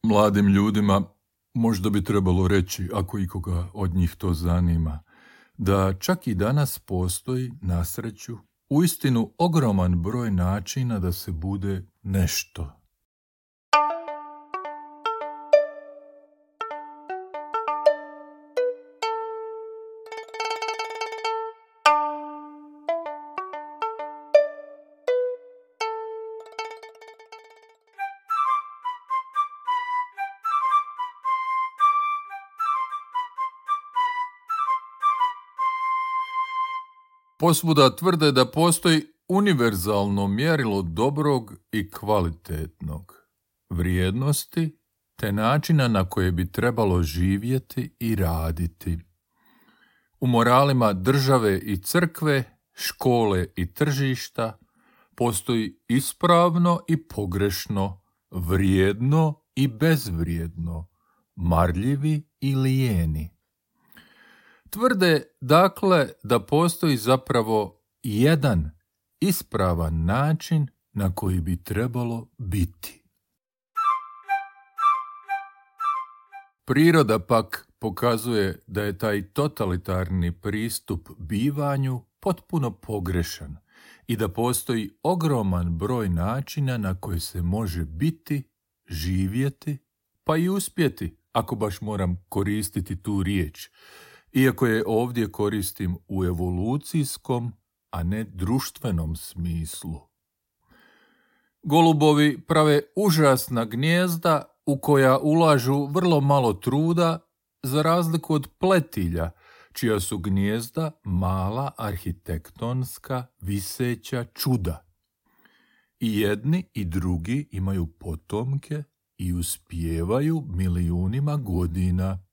Mladim ljudima možda bi trebalo reći, ako ikoga od njih to zanima, da čak i danas postoji, na sreću, uistinu ogroman broj načina da se bude nešto. Posvuda tvrde da postoji univerzalno mjerilo dobrog i kvalitetnog, vrijednosti te načina na koje bi trebalo živjeti i raditi. U moralima države i crkve, škole i tržišta postoji ispravno i pogrešno, vrijedno i bezvrijedno, marljivi i lijeni. Tvrde, dakle, da postoji zapravo jedan ispravan način na koji bi trebalo biti. Priroda pak pokazuje da je taj totalitarni pristup bivanju potpuno pogrešan i da postoji ogroman broj načina na koje se može biti, živjeti, pa i uspjeti, ako baš moram koristiti tu riječ, iako je ovdje koristim u evolucijskom, a ne društvenom smislu. Golubovi prave užasna gnijezda u koja ulažu vrlo malo truda, za razliku od pletilja, čija su gnijezda mala arhitektonska viseća čuda. I jedni i drugi imaju potomke i uspijevaju milijunima godina.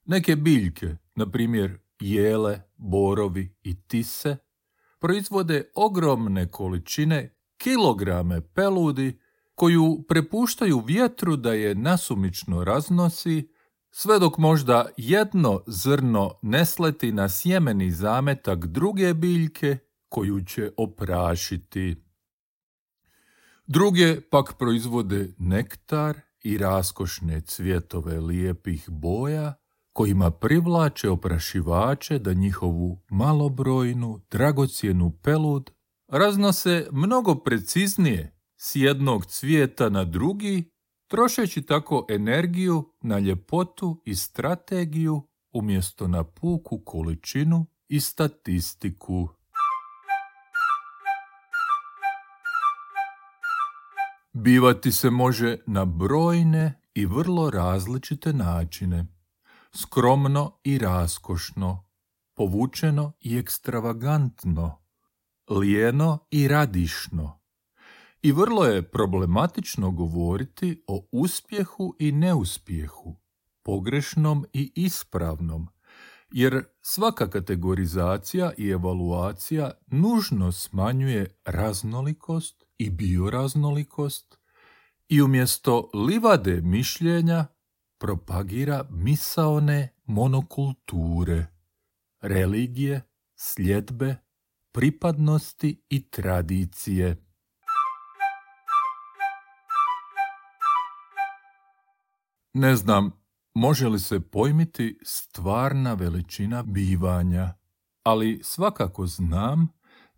Neke biljke, na primjer jele, borovi i tise, proizvode ogromne količine, kilograme peludi, koju prepuštaju vjetru da je nasumično raznosi, sve dok možda jedno zrno ne sleti na sjemeni zametak druge biljke koju će oprašiti. Druge pak proizvode nektar i raskošne cvjetove lijepih boja, kojima privlače oprašivače da njihovu malobrojnu, dragocjenu pelud raznose mnogo preciznije s jednog cvijeta na drugi, trošeći tako energiju na ljepotu i strategiju umjesto na puku količinu i statistiku. Bivati se može na brojne i vrlo različite načine. Skromno i raskošno, povučeno i ekstravagantno, lijeno i radišno. I vrlo je problematično govoriti o uspjehu i neuspjehu, pogrešnom i ispravnom, jer svaka kategorizacija i evaluacija nužno smanjuje raznolikost i bioraznolikost i umjesto livade mišljenja propagira misaone monokulture, religije, sljedbe, pripadnosti i tradicije. Ne znam, može li se pojmiti stvarna veličina bivanja, ali svakako znam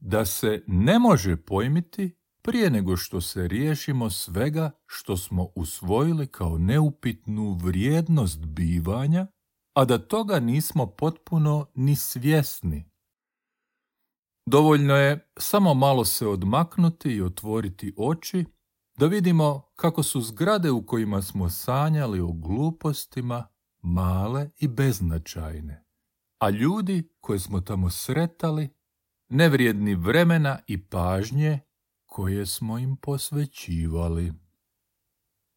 da se ne može pojmiti prije nego što se riješimo svega što smo usvojili kao neupitnu vrijednost bivanja, a da toga nismo potpuno ni svjesni. Dovoljno je samo malo se odmaknuti i otvoriti oči, da vidimo kako su zgrade u kojima smo sanjali o glupostima male i beznačajne, a ljudi koje smo tamo sretali nevrijedni vremena i pažnje koje smo im posvećivali.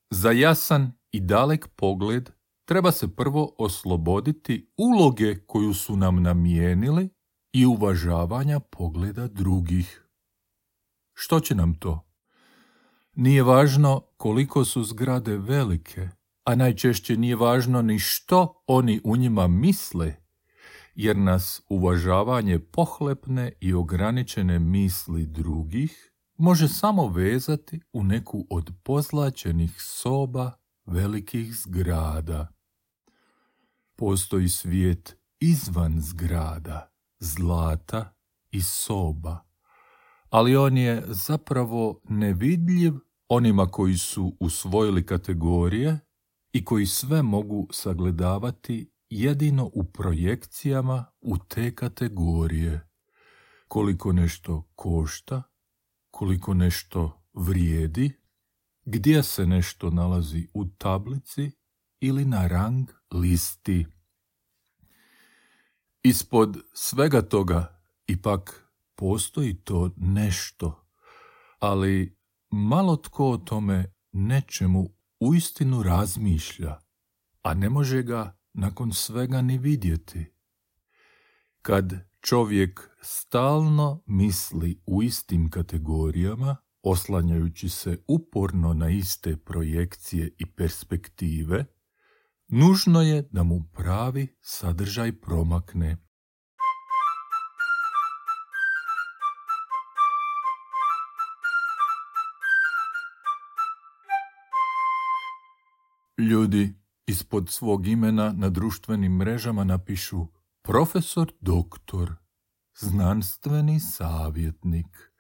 Za jasan i dalek pogled treba se prvo osloboditi uloge koju su nam namijenili i uvažavanja pogleda drugih. Što će nam to? Nije važno koliko su zgrade velike, a najčešće nije važno ni što oni u njima misle, jer nas uvažavanje pohlepne i ograničene misli drugih može samo vezati u neku od pozlaćenih soba velikih zgrada. Postoji svijet izvan zgrada, zlata i soba, ali on je zapravo nevidljiv onima koji su usvojili kategorije i koji sve mogu sagledavati jedino u projekcijama u te kategorije. Koliko nešto košta, koliko nešto vrijedi, gdje se nešto nalazi u tablici ili na rang listi. Ispod svega toga ipak postoji to nešto, ali malo tko o tome nečemu uistinu razmišlja, a ne može ga nakon svega ni vidjeti. Kad čovjek stalno misli u istim kategorijama, oslanjajući se uporno na iste projekcije i perspektive, nužno je da mu pravi sadržaj promakne. Ljudi ispod svog imena na društvenim mrežama napišu profesor doktor, znanstveni savjetnik,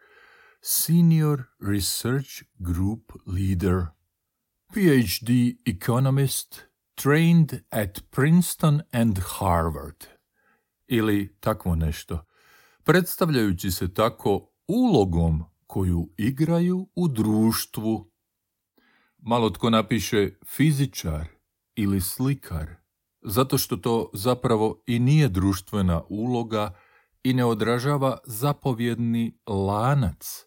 senior research group leader, PhD economist, trained at Princeton and Harvard, ili takvo nešto, predstavljajući se tako ulogom koju igraju u društvu. Malo tko napiše fizičar ili slikar, zato što to zapravo i nije društvena uloga i ne odražava zapovjedni lanac,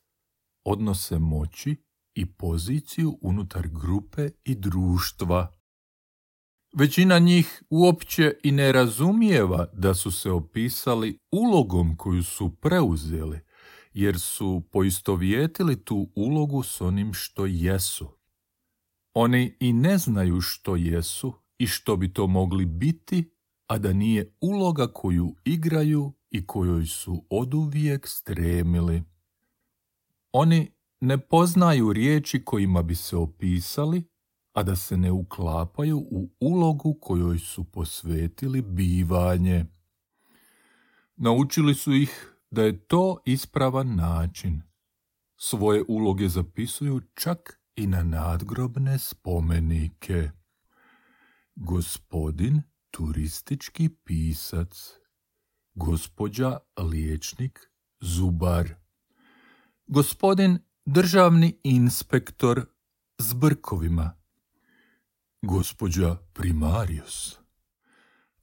odnose moći i poziciju unutar grupe i društva. Većina njih uopće i ne razumijeva da su se opisali ulogom koju su preuzeli, jer su poistovjetili tu ulogu s onim što jesu. Oni i ne znaju što jesu i što bi to mogli biti, a da nije uloga koju igraju i kojoj su oduvijek stremili. Oni ne poznaju riječi kojima bi se opisali, a da se ne uklapaju u ulogu kojoj su posvetili bivanje. Naučili su ih da je to ispravan način. Svoje uloge zapisuju čak i na nadgrobne spomenike. Gospodin turistički pisac, gospođa liječnik zubar, gospodin državni inspektor s brkovima, gospođa primarius.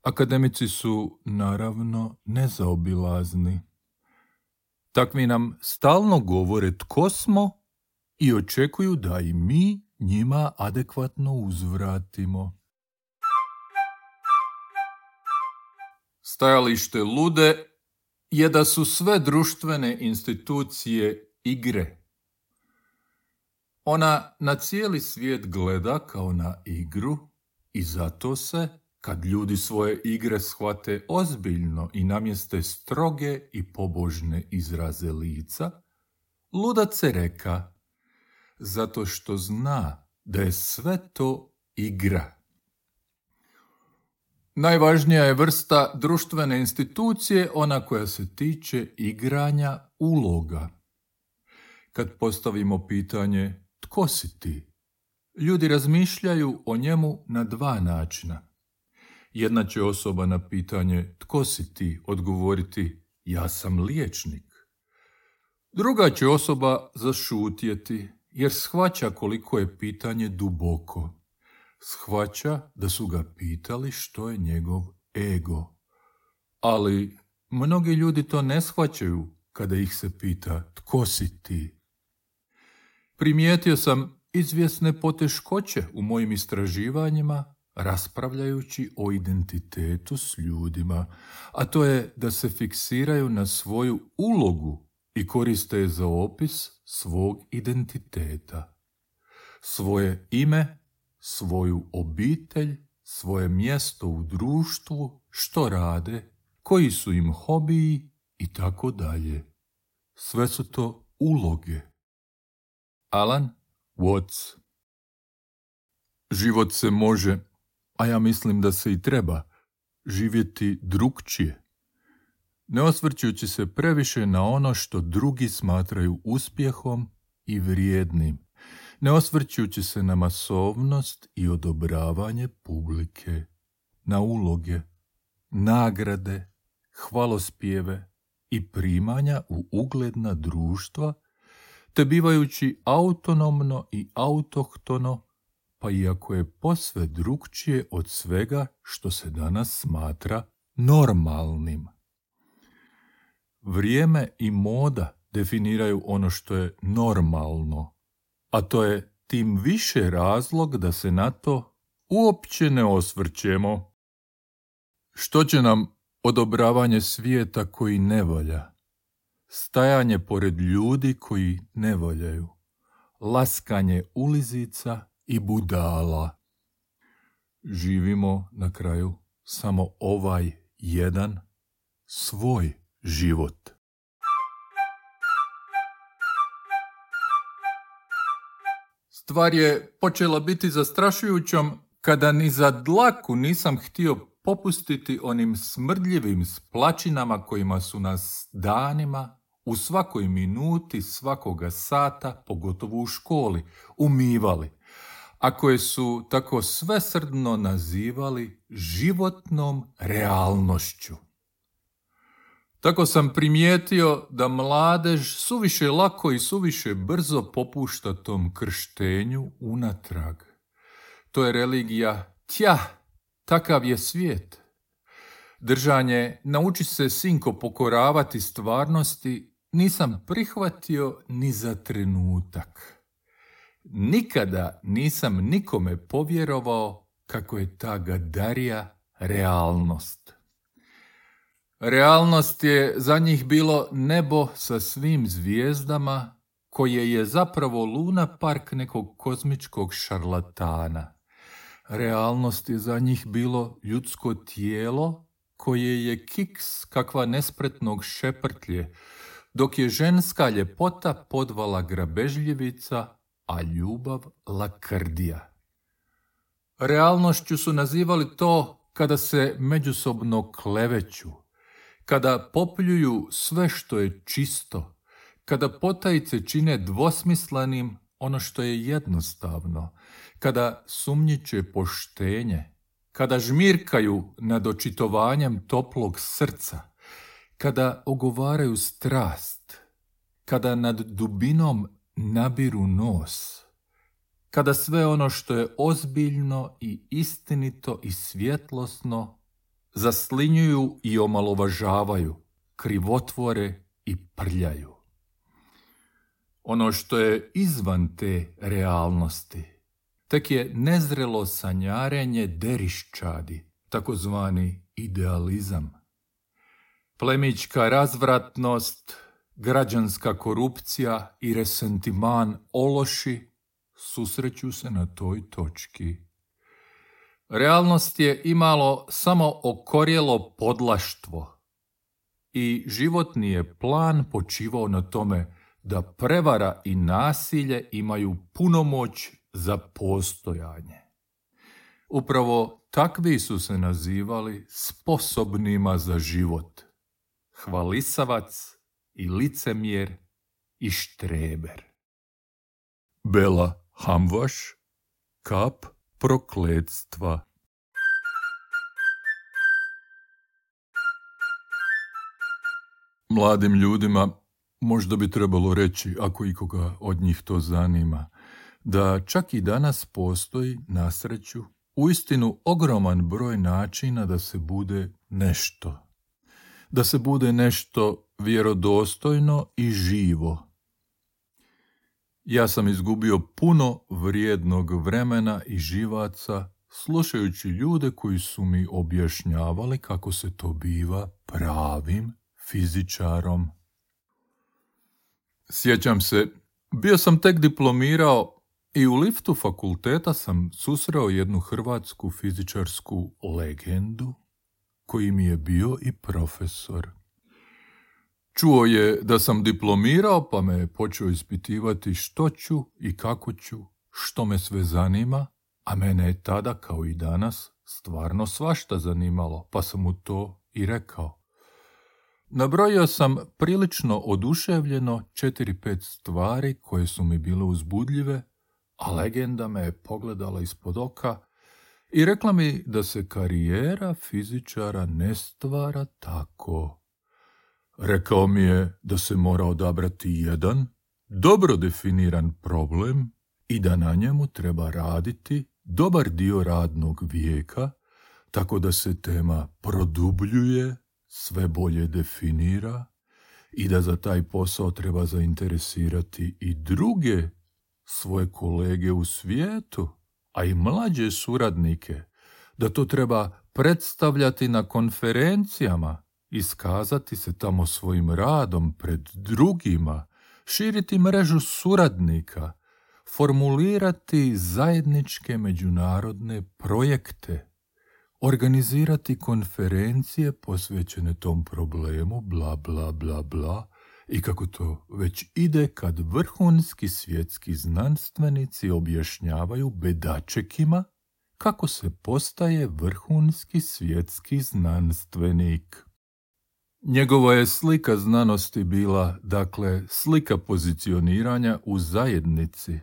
Akademici su, naravno, nezaobilazni. Takvi nam stalno govore tko smo i očekuju da i mi njima adekvatno uzvratimo. Stajalište lude je da su sve društvene institucije igre. Ona na cijeli svijet gleda kao na igru i zato se, kad ljudi svoje igre shvate ozbiljno i namjeste stroge i pobožne izraze lica, ludac se reka, zato što zna da je sve to igra. Najvažnija je vrsta društvene institucije ona koja se tiče igranja uloga. Kad postavimo pitanje tko si ti, ljudi razmišljaju o njemu na dva načina. Jedna će osoba na pitanje tko si ti odgovoriti ja sam liječnik. Druga će osoba zašutjeti jer shvaća koliko je pitanje duboko. Shvaća da su ga pitali što je njegov ego. Ali mnogi ljudi to ne shvaćaju kada ih se pita tko si ti. Primijetio sam izvjesne poteškoće u mojim istraživanjima raspravljajući o identitetu s ljudima, a to je da se fiksiraju na svoju ulogu i koriste je za opis svog identiteta. Svoje ime, svoju obitelj, svoje mjesto u društvu, što rade, koji su im hobiji i tako dalje. Sve su to uloge. Alan Watts. Život se može, a ja mislim da se i treba, živjeti drukčije, ne osvrćući se previše na ono što drugi smatraju uspjehom i vrijednim, ne osvrćući se na masovnost i odobravanje publike, na uloge, nagrade, hvalospjeve i primanja u ugledna društva, te bivajući autonomno i autohtono, pa iako je posve drukčije od svega što se danas smatra normalnim. Vrijeme i moda definiraju ono što je normalno, a to je tim više razlog da se na to uopće ne osvrćemo. Što će nam odobravanje svijeta koji ne valja, stajanje pored ljudi koji ne valjaju, laskanje ulizica i budala. Živimo na kraju samo ovaj jedan svoj život. Stvar je počela biti zastrašujućom kada ni za dlaku nisam htio popustiti onim smrdljivim splačinama kojima su nas danima, u svakoj minuti, svakoga sata, pogotovo u školi, umivali, a koje su tako svesrdno nazivali životnom realnošću. Tako sam primijetio da mladež suviše lako i suviše brzo popušta tom krštenju unatrag. To je religija, takav je svijet. Držanje, nauči se sinko pokoravati stvarnosti, nisam prihvatio ni za trenutak. Nikada nisam nikome povjerovao kako je ta gadarija realnost. Realnost je za njih bilo nebo sa svim zvijezdama, koje je zapravo luna park nekog kozmičkog šarlatana. Realnost je za njih bilo ljudsko tijelo, koje je kiks kakva nespretnog šeprtlje, dok je ženska ljepota podvala grabežljivica, a ljubav lakrdija. Realnošću su nazivali to kada se međusobno kleveću, kada popljuju sve što je čisto, kada potajice čine dvosmislenim ono što je jednostavno, kada sumnjiče poštenje, kada žmirkaju nad očitovanjem toplog srca, kada ogovaraju strast, kada nad dubinom nabiru nos, kada sve ono što je ozbiljno i istinito i svjetlosno zaslinjuju i omalovažavaju, krivotvore i prljaju. Ono što je izvan te realnosti tek je nezrelo sanjarenje deriščadi, takozvani idealizam. Plemićka razvratnost, građanska korupcija i resentiman ološi susreću se na toj točki. Realnost je imalo samo okorjelo podlaštvo i životni je plan počivao na tome da prevara i nasilje imaju punomoć za postojanje. Upravo takvi su se nazivali sposobnima za život. Hvalisavac i licemjer i štreber. Bela Hamvaš, kap prokletstva. Mladim ljudima možda bi trebalo reći, ako ikoga od njih to zanima, da čak i danas postoji, na sreću, uistinu ogroman broj načina da se bude nešto. Da se bude nešto vjerodostojno i živo. Ja sam izgubio puno vrijednog vremena i živaca slušajući ljude koji su mi objašnjavali kako se to biva pravim fizičarom. Sjećam se, bio sam tek diplomirao i u liftu fakulteta sam susreo jednu hrvatsku fizičarsku legendu koji mi je bio i profesor. Čuo je da sam diplomirao pa me počeo ispitivati što ću i kako ću, što me sve zanima A mene je tada, kao i danas, stvarno svašta zanimalo, pa sam mu to i rekao. Nabrojio sam prilično oduševljeno 4-5 stvari koje su mi bile uzbudljive, a legenda me je pogledala ispod oka i rekla mi da se karijera fizičara ne stvara tako. Rekao mi je da se mora odabrati jedan dobro definiran problem i da na njemu treba raditi dobar dio radnog vijeka, tako da se tema produbljuje, sve bolje definira i da za taj posao treba zainteresirati i druge svoje kolege u svijetu, a i mlađe suradnike, da to treba predstavljati na konferencijama, iskazati se tamo svojim radom pred drugima, širiti mrežu suradnika, formulirati zajedničke međunarodne projekte, organizirati konferencije posvećene tom problemu, bla, bla, bla, bla, i kako to već ide kad vrhunski svjetski znanstvenici objašnjavaju bedačekima kako se postaje vrhunski svjetski znanstvenik. Njegova je slika znanosti bila, dakle, slika pozicioniranja u zajednici.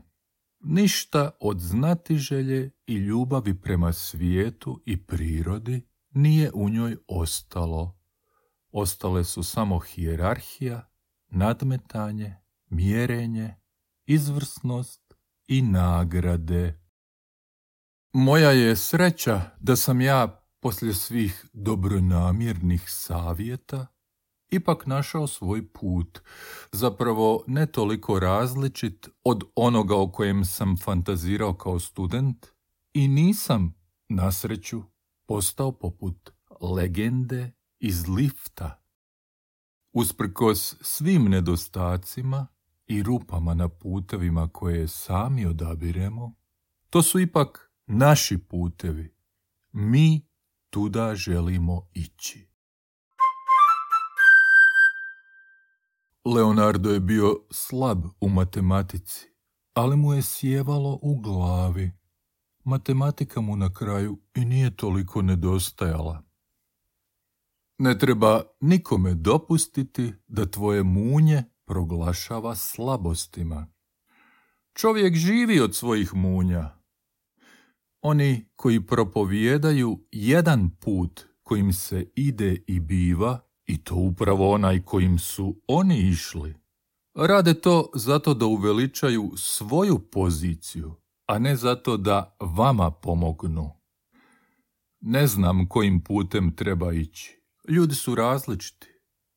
Ništa od znatiželje i ljubavi prema svijetu i prirodi nije u njoj ostalo. Ostale su samo hijerarhija, nadmetanje, mjerenje, izvrsnost i nagrade. Moja je sreća da sam ja, poslije svih dobronamjernih savjeta, ipak našao svoj put, zapravo ne toliko različit od onoga o kojem sam fantazirao kao student, i nisam, na sreću, postao poput legende iz lifta. Usprkos svim nedostacima i rupama na putevima koje sami odabiremo, to su ipak naši putevi. Mi tuda želimo ići. Leonardo je bio slab u matematici, ali mu je sjevalo u glavi. Matematika mu na kraju i nije toliko nedostajala. Ne treba nikome dopustiti da tvoje munje proglašava slabostima. Čovjek živi od svojih munja. Oni koji propovijedaju jedan put kojim se ide i biva, i to upravo onaj kojim su oni išli, rade to zato da uveličaju svoju poziciju, a ne zato da vama pomognu. Ne znam kojim putem treba ići. Ljudi su različiti,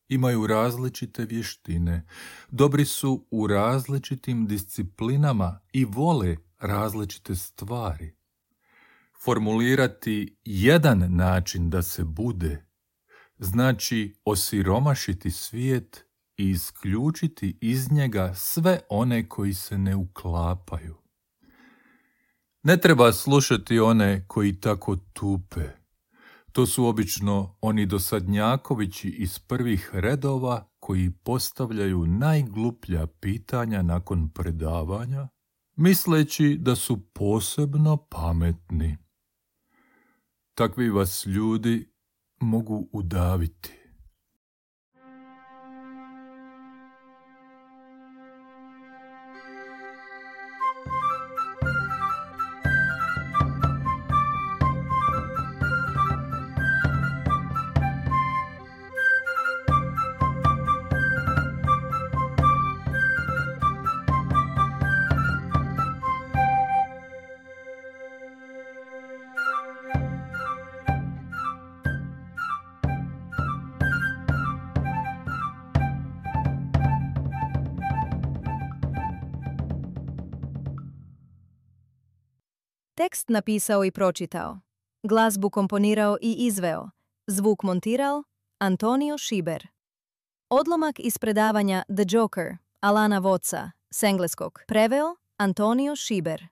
imaju različite vještine, dobri su u različitim disciplinama i vole različite stvari. Formulirati jedan način da se bude znači osiromašiti svijet i isključiti iz njega sve one koji se ne uklapaju. Ne treba slušati one koji tako tupe. To su obično oni dosadnjakovići iz prvih redova koji postavljaju najgluplja pitanja nakon predavanja, misleći da su posebno pametni. Takvi vas ljudi mogu udaviti. Tekst napisao i pročitao. Glazbu komponirao i izveo. Zvuk montirao Antonio Šiber. Odlomak iz predavanja The Joker Alana Watsa s engleskog preveo Antonio Šiber.